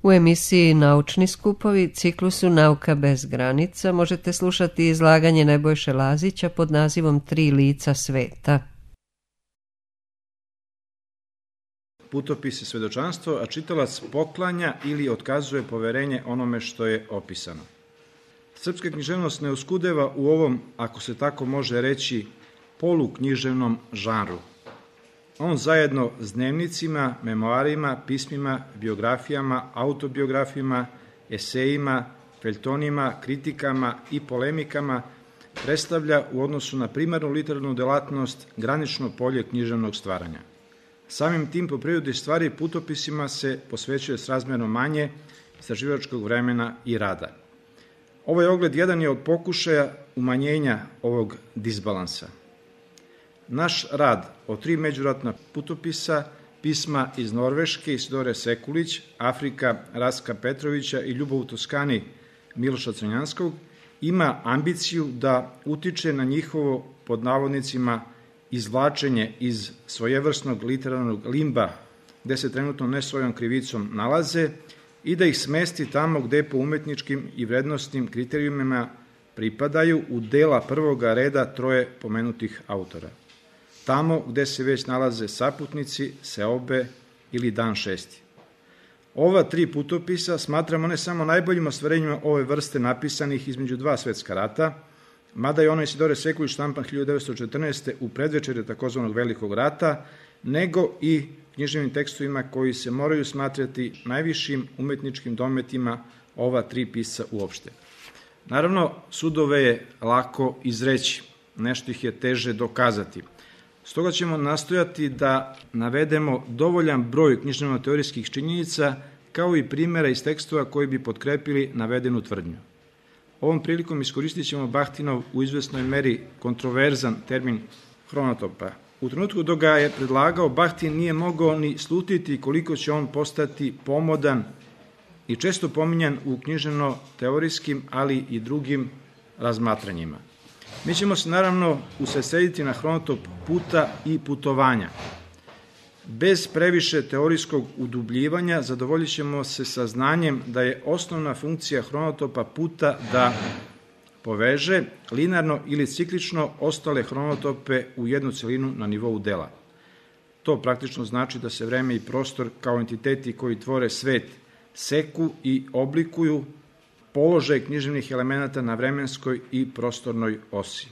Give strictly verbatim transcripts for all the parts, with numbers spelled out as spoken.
U emisiji Naučni skupovi, ciklusu Nauka bez granica, možete slušati izlaganje Nebojše Lazića pod nazivom Tri lica sveta. Putopis je svedočanstvo, a čitalac poklanja ili otkazuje poverenje onome što je opisano. Srpska književnost ne oskudeva u ovom, ako se tako može reći, poluknjiževnom žanru. On zajedno s dnevnicima, memoarima, pismima, biografijama, autobiografijama, esejima, feljtonima, kritikama i polemikama predstavlja u odnosu na primarnu literarnu delatnost granično polje književnog stvaranja. Samim tim, po prirodi stvari, putopisima se posvećuje srazmerno manje istraživačkog vremena i rada. Ovaj ogled jedan je od pokušaja umanjenja ovog disbalansa. Naš rad o tri međuratna putopisa, pisma iz Norveške, Isidore Sekulić, Afrika Rastka Petrovića i Ljubav u Toskani Miloša Crnjanskog, ima ambiciju da utiče na njihovo, pod navodnicima, izvlačenje iz svojevrsnog literarnog limba, gde se trenutno ne svojom krivicom nalaze, i da ih smesti tamo gde po umetničkim i vrednostnim kriterijumima pripadaju u dela prvoga reda troje pomenutih autora. Tamo gde se već nalaze Saputnici, Seobe ili Dan šesti. Ova tri putopisa smatramo ne samo najboljim ostvarenjima ove vrste napisanih između dva svetska rata, mada je ono Isidore Sekulić štampan hiljadu devetsto četrnaeste. u predvečerje takozvanog Velikog rata, nego i književnim tekstovima koji se moraju smatrati najvišim umetničkim dometima ova tri pisca uopšte. Naravno, sudove je lako izreći, nešto ih je teže dokazati. Stoga ćemo nastojati da navedemo dovoljan broj književno-teorijskih činjenica kao i primjera iz tekstova koji bi potkrepili navedenu tvrdnju. Ovom prilikom iskoristit ćemo Bahtinov u izvesnoj meri kontroverzan termin hronotopa. U trenutku dok ga je predlagao, Bahtin nije mogao ni slutiti koliko će on postati pomodan i često pominjan u književno-teorijskim, ali i drugim razmatranjima. Mi ćemo se naravno usredsrediti na hronotop puta i putovanja. Bez previše teorijskog udubljivanja zadovoljit ćemo se sa znanjem da je osnovna funkcija hronotopa puta da poveže linarno ili ciklično ostale hronotope u jednu celinu na nivou dela. To praktično znači da se vreme i prostor kao entiteti koji tvore svet seku i oblikuju položaj književnih elemenata na vremenskoj i prostornoj osi.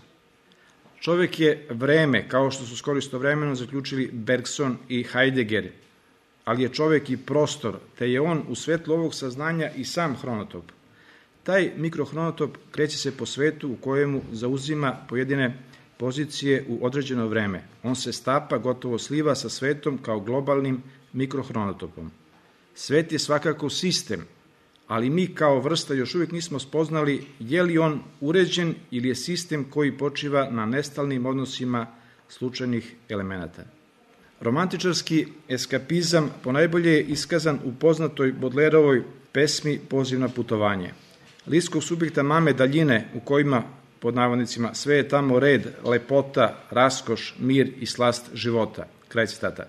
Čovek je vreme, kao što su skoro istovremeno zaključili Bergson i Heidegger, ali je čovek i prostor, te je on u svetlu ovog saznanja i sam hronotop. Taj mikrohronotop kreće se po svetu u kojemu zauzima pojedine pozicije u određeno vreme. On se stapa, gotovo sliva sa svetom kao globalnim mikrohronotopom. Svet je svakako sistem, ali mi kao vrsta još uvijek nismo spoznali je li on uređen ili je sistem koji počiva na nestalnim odnosima slučajnih elemenata. Romantičarski eskapizam ponajbolje je iskazan u poznatoj Bodlerovoj pesmi Poziv na putovanje. Liskog subjekta mame daljine u kojima, pod navodnicima, sve je tamo red, lepota, raskoš, mir i slast života. Kraj citata.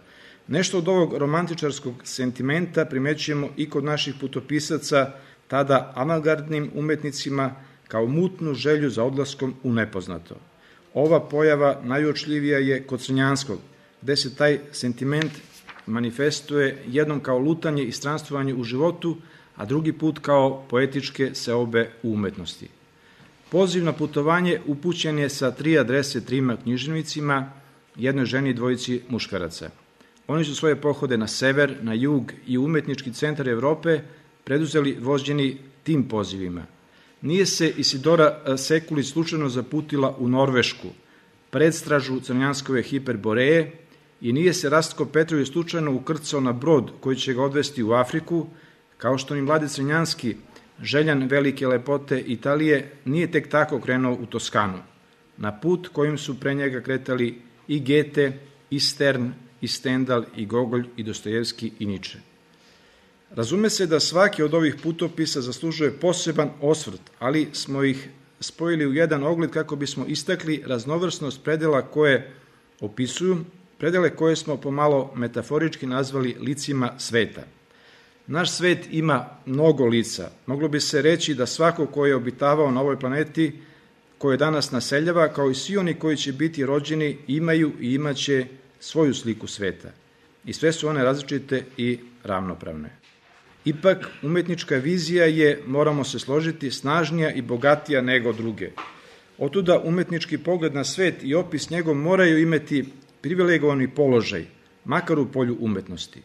Nešto od ovog romantičarskog sentimenta primećujemo i kod naših putopisaca, tada avangardnim umetnicima, kao mutnu želju za odlaskom u nepoznato. Ova pojava najuočljivija je kod Crnjanskog, gde se taj sentiment manifestuje jednom kao lutanje i stranstvovanje u životu, a drugi put kao poetičke seobe u umetnosti. Poziv na putovanje upućen je sa tri adrese trima književnicima, jednoj ženi i dvojici muškaraca. Oni su svoje pohode na sever, na jug i umetnički centar Evrope preduzeli vođeni tim pozivima. Nije se Isidora Sekulić slučajno zaputila u Norvešku, predstražu Crnjanskove Hiperboreje, i nije se Rastko Petrović slučajno ukrcao na brod koji će ga odvesti u Afriku, kao što ni mladi Crnjanski, željan velike lepote Italije, nije tek tako krenuo u Toskanu, na put kojim su pre njega kretali i Gete, i Stern, i Stendhal, i Gogolj, i Dostojevski, i Niče. Razume se da svaki od ovih putopisa zaslužuje poseban osvrt, ali smo ih spojili u jedan ogled kako bismo istakli raznovrsnost predela koje opisuju, predele koje smo pomalo metaforički nazvali licima sveta. Naš svet ima mnogo lica. Moglo bi se reći da svako ko je obitavao na ovoj planeti, koje danas naseljava, kao i svi oni koji će biti rođeni, imaju i imaće svoju sliku sveta. I sve su one različite i ravnopravne. Ipak, umetnička vizija je, moramo se složiti, snažnija i bogatija nego druge. Otuda umetnički pogled na svet i opis njegov moraju imati privilegovani položaj, makar u polju umetnosti.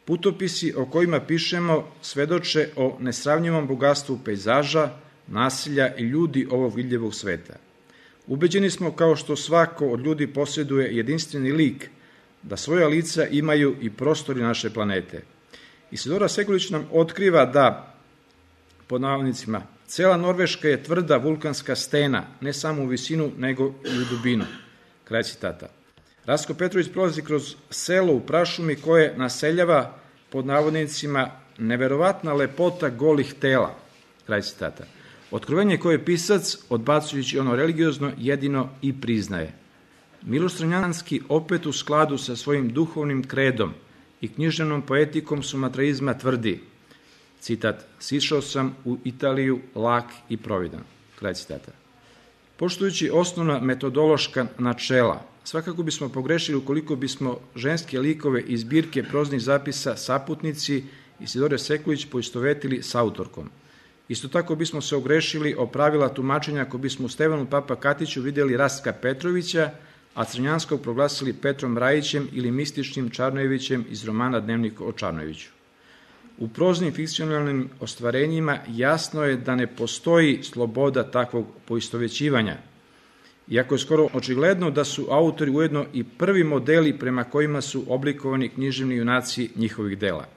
Putopisi o kojima pišemo svedoče o nesravnjivom bogatstvu pejzaža, nasilja i ljudi ovog vidljivog sveta. Ubeđeni smo, kao što svako od ljudi posjeduje jedinstveni lik, da svoja lica imaju i prostori naše planete. Isidora Sekulić nam otkriva da, pod navodnicima, cela Norveška je tvrda vulkanska stena, ne samo u visinu, nego i u dubinu. Kraj citata. Rastko Petrović prolazi kroz selo u prašumi koje naseljava, pod navodnicima, neverovatna lepota golih tela. Kraj citata. Otkrovenje koje pisac, odbacujući ono religiozno, jedino i priznaje. Miloš Crnjanski, opet u skladu sa svojim duhovnim kredom i književnom poetikom sumatraizma, tvrdi, citat, sišao sam u Italiju lak i providan. Kraj citata. Poštujući osnovna metodološka načela, svakako bismo pogrešili ukoliko bismo ženske likove iz zbirke proznih zapisa Saputnici Isidore Sekulić poistovetili s autorkom. Isto tako bismo se ogrešili o pravila tumačenja ako bismo u Stevanu Papa Katiću vidjeli Rastka Petrovića, a Crnjanskog proglasili Petrom Rajićem ili mističnim Čarnojevićem iz romana Dnevnik o Čarnojeviću. U proznim fikcionalnim ostvarenjima jasno je da ne postoji sloboda takvog poistovećivanja, iako je skoro očigledno da su autori ujedno i prvi modeli prema kojima su oblikovani književni junaci njihovih dela.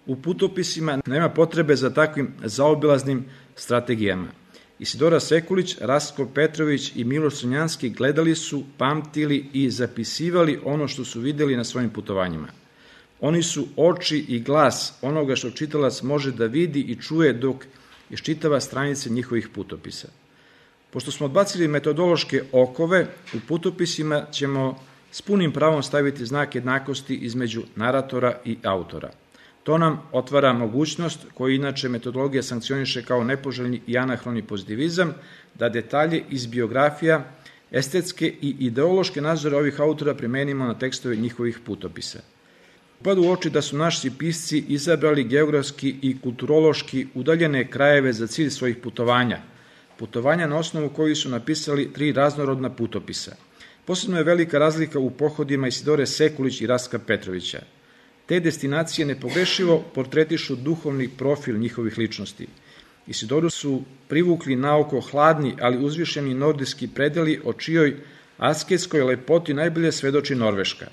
U putopisima nema potrebe za takvim zaobilaznim strategijama. Isidora Sekulić, Rastko Petrović i Miloš Crnjanski gledali su, pamtili i zapisivali ono što su videli na svojim putovanjima. Oni su oči i glas onoga što čitalac može da vidi i čuje dok iščitava stranice njihovih putopisa. Pošto smo odbacili metodološke okove, u putopisima ćemo s punim pravom staviti znak jednakosti između naratora i autora. To nam otvara mogućnost, koju inače metodologija sankcioniše kao nepoželjni i anahroni pozitivizam, da detalje iz biografija, estetske i ideološke nadzore ovih autora primenimo na tekstove njihovih putopisa. Upadu u oči da su naši pisci izabrali geografski i kulturološki udaljene krajeve za cilj svojih putovanja, putovanja na osnovu kojih su napisali tri raznorodna putopisa. Posebno je velika razlika u pohodima Isidore Sekulić i Rastka Petrovića. Te destinacije nepogrešivo portretišu duhovni profil njihovih ličnosti. Isidoru su privukli naoko hladni, ali uzvišeni nordijski predeli o čijoj asketskoj lepoti najbolje svedoči Norveška.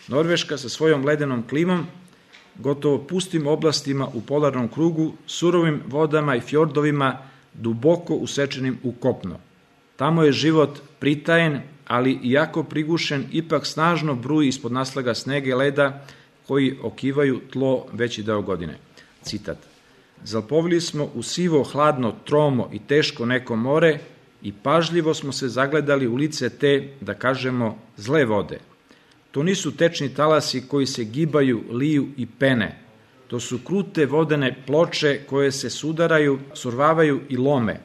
Norveška sa svojom ledenom klimom, gotovo pustim oblastima u polarnom krugu, surovim vodama i fjordovima, duboko usečenim u kopno. Tamo je život pritajen, ali iako prigušen, ipak snažno bruji ispod naslaga snega i leda koji okivaju tlo veći deo godine. Citat. Zalpovili smo u sivo, hladno, tromo i teško neko more i pažljivo smo se zagledali u lice te, da kažemo, zle vode. To nisu tečni talasi koji se gibaju, liju i pene. To su krute vodene ploče koje se sudaraju, survavaju i lome.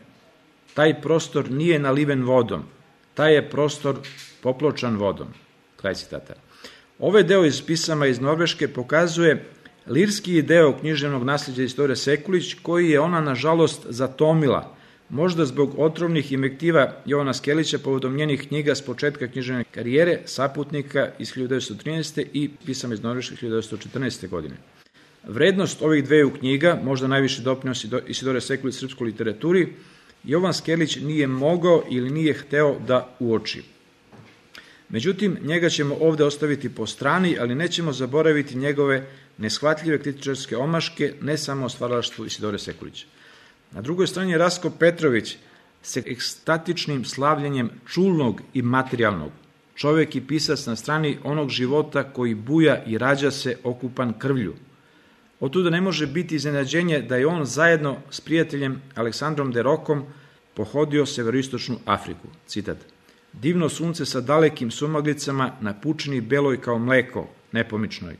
Taj prostor nije naliven vodom. Taj je prostor popločan vodom. Kraj citata. Ovaj deo iz pisama iz Norveške pokazuje lirski deo književnog nasljeđa Isidore Sekulić, koji je ona, nažalost, zatomila, možda zbog otrovnih invektiva Jovana Skelića povodom njenih knjiga s početka književne karijere, Saputnika iz hiljadu devetsto trinaeste. i pisama iz Norveške hiljadu devetsto četrnaeste. godine. Vrednost ovih dveju knjiga, možda najviše doprinos Isidore Sekulić srpskoj literaturi, Jovan Skelić nije mogao ili nije hteo da uoči. Međutim, njega ćemo ovde ostaviti po strani, ali nećemo zaboraviti njegove neshvatljive kritičarske omaške, ne samo o stvaralaštvu Isidore Sekulića. Na drugoj strani je Rastko Petrović sa ekstatičnim slavljenjem čulnog i materijalnog. Čovek i pisac na strani onog života koji buja i rađa se okupan krvlju. Otuda ne može biti iznenađenje da je on zajedno s prijateljem Aleksandrom de Rokom pohodio severoistočnu Afriku. Citat. Divno sunce sa dalekim sumaglicama na pučini beloj kao mleko, nepomičnoj.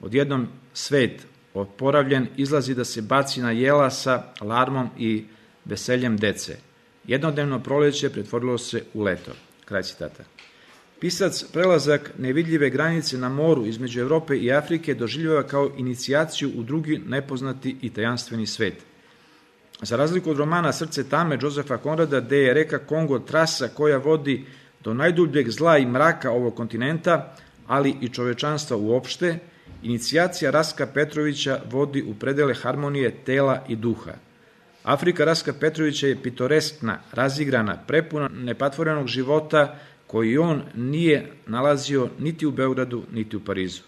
Odjednom svet, oporavljen, izlazi da se baci na jela sa larmom i veseljem dece. Jednodnevno proleće pretvorilo se u leto. Kraj citata. Pisac prelazak nevidljive granice na moru između Evrope i Afrike doživljava kao inicijaciju u drugi nepoznati i tajanstveni svet. Za razliku od romana Srce tame Josefa Konrada, gde je reka Kongo trasa koja vodi do najdubljeg zla i mraka ovog kontinenta, ali i čovečanstva uopšte, inicijacija Raska Petrovića vodi u predele harmonije tela i duha. Afrika Raska Petrovića je pitoreskna, razigrana, prepuna nepatvorenog života koji on nije nalazio niti u Beogradu, niti u Parizu.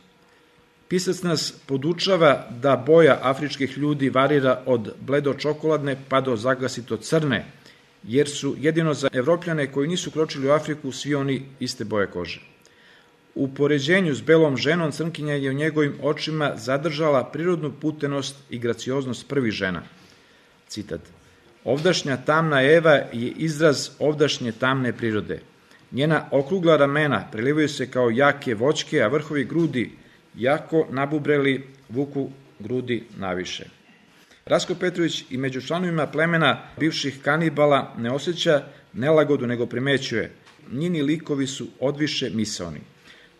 Pisac nas podučava da boja afričkih ljudi varira od bledo-čokoladne pa do zagasito crne, jer su jedino za Evropljane koji nisu kročili u Afriku svi oni iste boje kože. U poređenju s belom ženom crnkinja je u njegovim očima zadržala prirodnu putenost i gracioznost prvih žena. Citat. Ovdašnja tamna Eva je izraz ovdašnje tamne prirode. Njena okrugla ramena prelivaju se kao jake voćke, a vrhovi grudi jako nabubreli vuku grudi naviše. Rasko Petrović i među članovima plemena bivših kanibala ne osjeća nelagodu, nego primećuje. Njini likovi su odviše misaoni.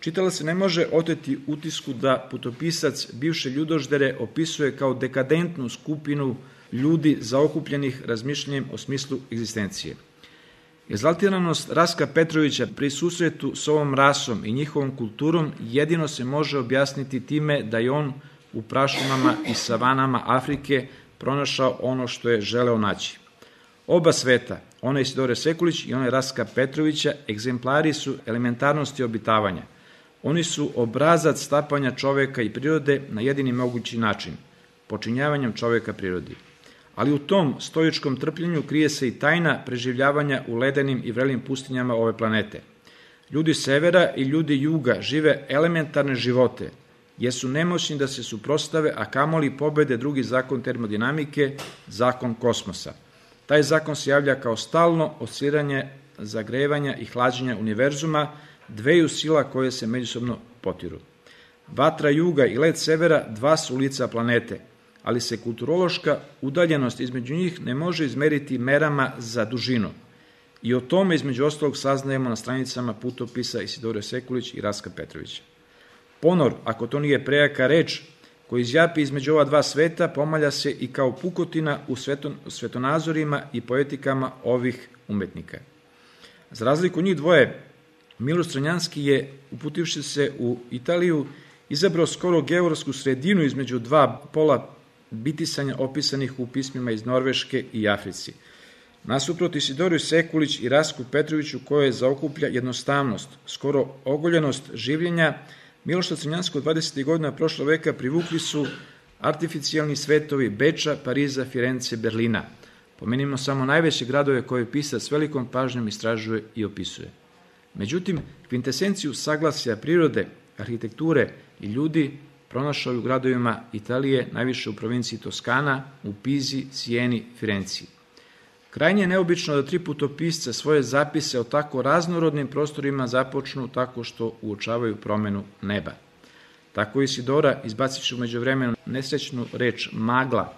Čitalac se ne može oteti utisku da putopisac bivše ljudoždere opisuje kao dekadentnu skupinu ljudi zaokupljenih razmišljanjem o smislu egzistencije. Egzaltiranost Raska Petrovića pri susretu s ovom rasom i njihovom kulturom jedino se može objasniti time da je on u prašumama i savanama Afrike pronašao ono što je želeo naći. Oba sveta, onaj Isidore Sekulić i onaj Raska Petrovića, egzemplari su elementarnosti obitavanja. Oni su obrazac stapanja čoveka i prirode na jedini mogući način, počinjavanjem čoveka prirodi. Ali u tom stoičkom trpljenju krije se i tajna preživljavanja u ledenim i vrelim pustinjama ove planete. Ljudi severa i ljudi juga žive elementarne živote, jer su nemoćni da se suprostave, a kamoli pobede drugi zakon termodinamike, zakon kosmosa. Taj zakon se javlja kao stalno osciliranje zagrevanja i hlađenja univerzuma, dveju sila koje se međusobno potiru. Vatra juga i led severa dva su lica planete, ali se kulturološka udaljenost između njih ne može izmeriti merama za dužinu. I o tome između ostalog saznajemo na stranicama putopisa Isidore Sekulić i Raska Petrovića. Ponor, ako to nije prejaka reč, koji izjapi između ova dva sveta, pomalja se i kao pukotina u sveton, svetonazorima i poetikama ovih umetnika. Za razliku njih dvoje, Miloš Crnjanski je, uputivši se u Italiju, izabrao skoro geografsku sredinu između dva pola bitisanja opisanih u pismima iz Norveške i Africi. Nasuprot Isidoriju Sekulić i Rasku Petroviću, koje zaokuplja jednostavnost, skoro ogoljenost življenja, Miloša Crnjanskog dvadesetih godina prošlog veka privukli su artificijalni svetovi Beča, Pariza, Firence, Berlina. Pomenimo samo najveće gradove koje pisac s velikom pažnjom istražuje i opisuje. Međutim, kvintesenciju saglasja prirode, arhitekture i ljudi pronašao u gradovima Italije, najviše u provinciji Toskana, u Pizi, Sijeni, Firenciji. Krajnje je neobično da tri putopisca svoje zapise o tako raznorodnim prostorima započnu tako što uočavaju promenu neba. Tako Isidora, izbacivši umeđu vremenu nesrećnu reč magla,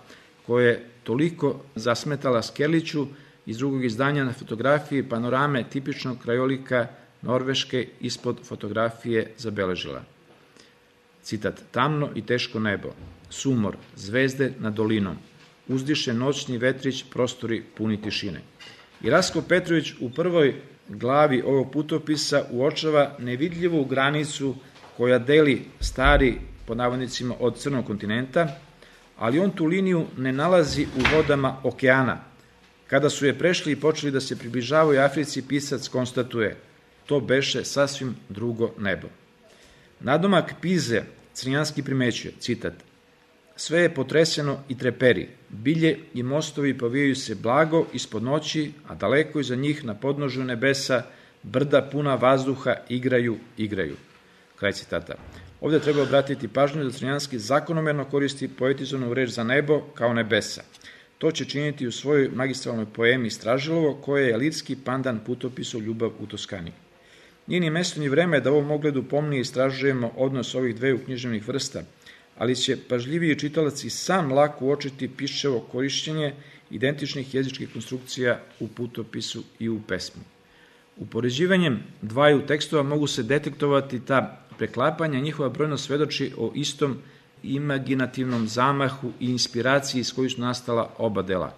koja je toliko zasmetala Skerliću, iz drugog izdanja na fotografiji panorame tipičnog krajolika Norveške ispod fotografije zabeležila. Citat, tamno i teško nebo, sumor, zvezde nad dolinom, uzdiše noćni vetrić, prostori puni tišine. I Rasko Petrović u prvoj glavi ovog putopisa uočava nevidljivu granicu koja deli stari, pod navodnicima, od crnog kontinenta, ali on tu liniju ne nalazi u vodama okeana. Kada su je prešli i počeli da se približavaju Africi, pisac konstatuje, to beše sasvim drugo nebo. Nadomak Pize Crnjanski primećuje, citat, sve je potreseno i treperi, bilje i mostovi povijaju se blago ispod noći, a daleko iza njih na podnožju nebesa brda puna vazduha igraju, igraju. Kraj citata. Ovdje treba obratiti pažnju da Crnjanski zakonomerno koristi poetizovanu reč za nebo kao nebesa. To će činiti u svojoj magistralnoj poemi Stražilovo, koje je lirski pandan putopisu Ljubav u Toskani. Nije ni mesto ni vreme da u ovom ogledu pomnije istražujemo odnos ovih dveju književnih vrsta, ali će pažljiviji čitalac i sam lako uočiti piševo korišćenje identičnih jezičkih konstrukcija u putopisu i u pesmi. Upoređivanjem dvaju tekstova mogu se detektovati ta preklapanja, njihova brojnost svedoči o istom imaginativnom zamahu i inspiraciji iz koju su nastala oba dela.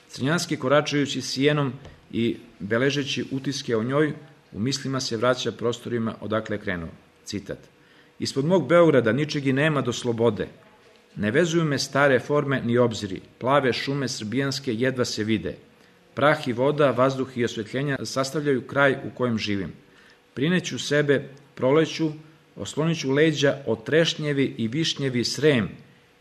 Crnjanski, koračajući Sijenom i beležeći utiske o njoj, u mislima se vraća prostorima odakle je krenuo. Citat. Ispod mog Beograda ničeg i nema do slobode. Ne vezuju me stare forme ni obziri, plave šume srbijanske jedva se vide. Prah i voda, vazduh i osvetljenja sastavljaju kraj u kojem živim. Prineću sebe proleću, osloniću leđa od trešnjevi i višnjevi srem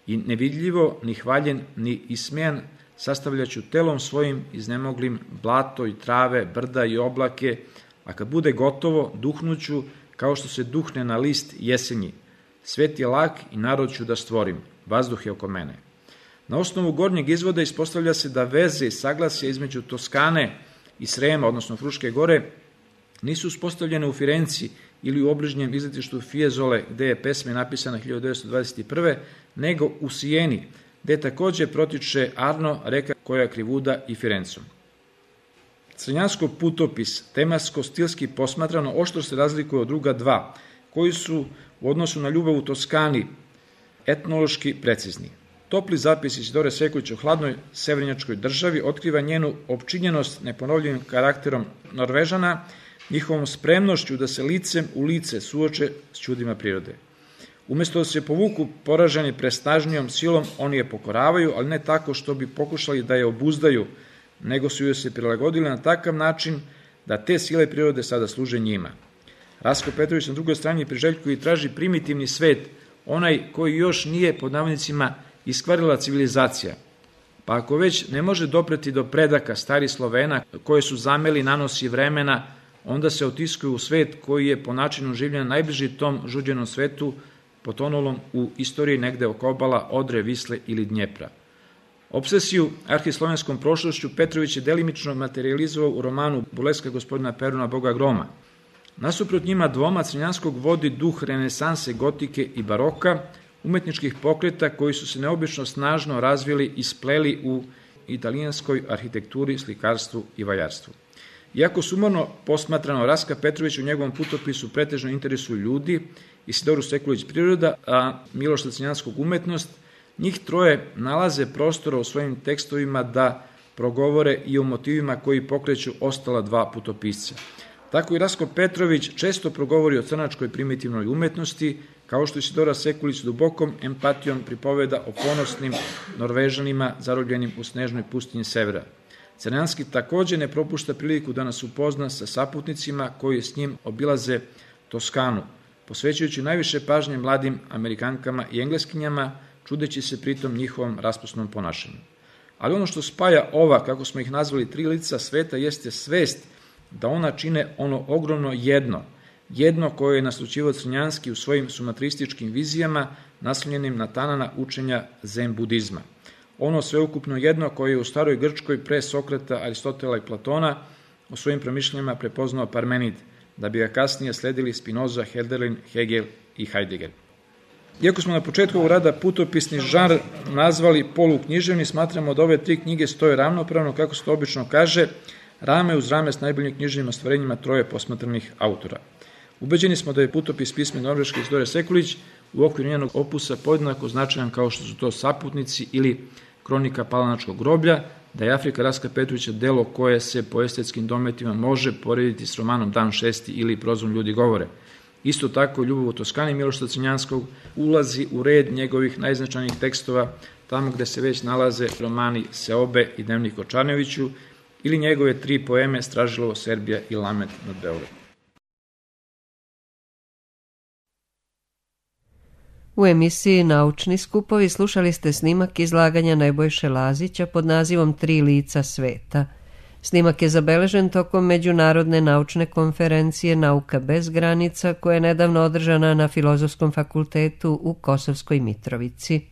i nevidljivo, ni hvaljen, ni ismejan sastavljaću telom svojim iznemoglim blato i trave, brda i oblake, a kad bude gotovo, duhnuću kao što se duhne na list jesenji. Svet je lak i narod ću da stvorim, vazduh je oko mene. Na osnovu gornjeg izvoda ispostavlja se da veze i saglasje između Toskane i Srema, odnosno Fruške gore, nisu uspostavljene u Firenci ili u obližnjem izletištu Fiesole, gde je pesma napisana hiljadu devetsto dvadeset prve, nego u Sijeni, gde takođe protiče Arno, reka koja krivuda i Firencom. Crnjanskog putopis, tematsko-stilski posmatrano, oštro se razlikuje od druga dva, koji su u odnosu na ljubav u Toskani etnološki precizni. Topli zapis Isidore Sekulić o hladnoj severnjačkoj državi otkriva njenu opčinjenost neponovljivim karakterom Norvežana, njihovom spremnošću da se licem u lice suoče s čudima prirode. Umesto da se povuku poraženi presnažnijom silom, oni je pokoravaju, ali ne tako što bi pokušali da je obuzdaju, nego su joj se prilagodili na takav način da te sile prirode sada služe njima. Rasko Petrović na drugoj strani priželjkuje i traži primitivni svet, onaj koji još nije pod navodnicima iskvarila civilizacija. Pa ako već ne može dopreti do predaka starih Slovena koje su zameli nanosi vremena, onda se otiskuju u svet koji je po načinu življenja najbliži tom žuđenom svetu, potonulom u istoriji negde oko obala Odre, Visle ili Dnjepra. Obsesiju arhislovenskom prošlošću Petrović je delimično materializovao u romanu Buleska gospodina Peruna Boga Groma. Nasuprot njima dvoma Crnjanskog vodi duh renesanse, gotike i baroka, umetničkih pokreta koji su se neobično snažno razvili i spleli u italijanskoj arhitekturi, slikarstvu i valjarstvu. Iako sumorno posmatrano, Raska Petrović u njegovom putopisu pretežno interesuju ljudi, Isidoru Sekulić priroda, a Miloša Crnjanskog umetnost, njih troje nalaze prostora u svojim tekstovima da progovore i o motivima koji pokreću ostala dva putopisca. Tako i Rasko Petrović često progovori o crnačkoj primitivnoj umetnosti, kao što Isidora Sekulić dubokom empatijom pripoveda o ponosnim Norvežanima zarobljenim u snežnoj pustinji severa. Crnjanski takođe ne propušta priliku da nas upozna sa saputnicima koji s njim obilaze Toskanu, posvećujući najviše pažnje mladim Amerikankama i Engleskinjama, čudeći se pritom njihovom raspusnom ponašanju. Ali ono što spaja ova, kako smo ih nazvali, tri lica sveta, jeste svest da ona čine ono ogromno jedno, jedno koje je naslućivao Crnjanski u svojim sumatrističkim vizijama naslonjenim na tanana učenja zen budizma. Ono sveukupno jedno koje je u staroj Grčkoj pre Sokrata, Aristotela i Platona u svojim promišljanjima prepoznao Parmenid, da bi ga kasnije sledili Spinoza, Hölderlin, Hegel i Heidegger. Iako smo na početku ovog rada putopisni žanr nazvali poluknjiževni, smatramo da ove tri knjige stoje ravnopravno, kako se to obično kaže, rame uz rame s najboljim književnim ostvarenjima troje posmatranih autora. Ubeđeni smo da je putopis pisme norveške Isidore Sekulić u okviru njenog opusa podjednako značajan kao što su to Saputnici ili Kronika Palanačkog groblja, da je Afrika Raska Petrovića delo koje se po estetskim dometima može porediti s romanom Dan šesti ili Prozom ljudi govore. Isto tako, Ljubav u Toskani Miloša Crnjanskog ulazi u red njegovih najznačajnijih tekstova, tamo gde se već nalaze romani Seobe i Dnevnik o Čarneviću ili njegove tri poeme Stražilovo, Serbija i Lament nad Beogradom. U emisiji Naučni skupovi slušali ste snimak izlaganja Nebojše Lazića pod nazivom Tri lica sveta. Snimak je zabeležen tokom Međunarodne naučne konferencije Nauka bez granica koja je nedavno održana na Filozofskom fakultetu u Kosovskoj Mitrovici.